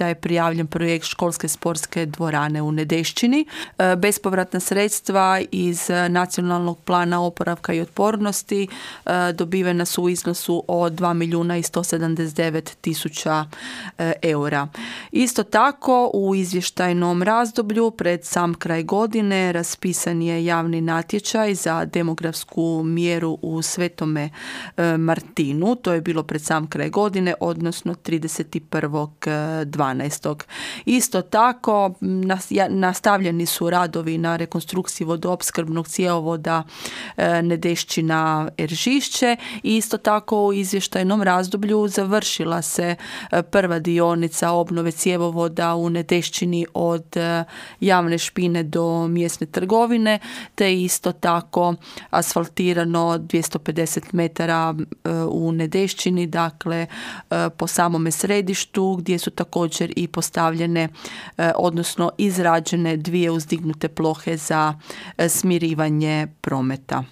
da je prijavljen projekt školske sportske dvorane u Nedešćini. Bespovratna sredstva iz Nacionalnog plana oporavka i otpornosti dobivena su u iznosu od 2.179.000 eura. Isto tako, u izvještajnom razdoblju pred sam kraj godine raspisan je javni natječaj za demografsku mjeru u Svetome Martinu. To je bilo pred sam kraj godine, odnosno 31.12. Isto tako, nastavljeni su radovi na rekonstrukciji vodoopskrbnog cjevovoda Nedešćina-Eržišće i isto tako u izvještajnom razdoblju završila se prva dionica obnove cjevovoda u Nedešćini od Javne špine do mjesne trgovine, te isto tako asfaltirano 250 metara u Nedešćini, dakle po samome središtu, gdje su također i postavljene, odnosno izrađene 2 uzdignute plohe za smirivanje prometa.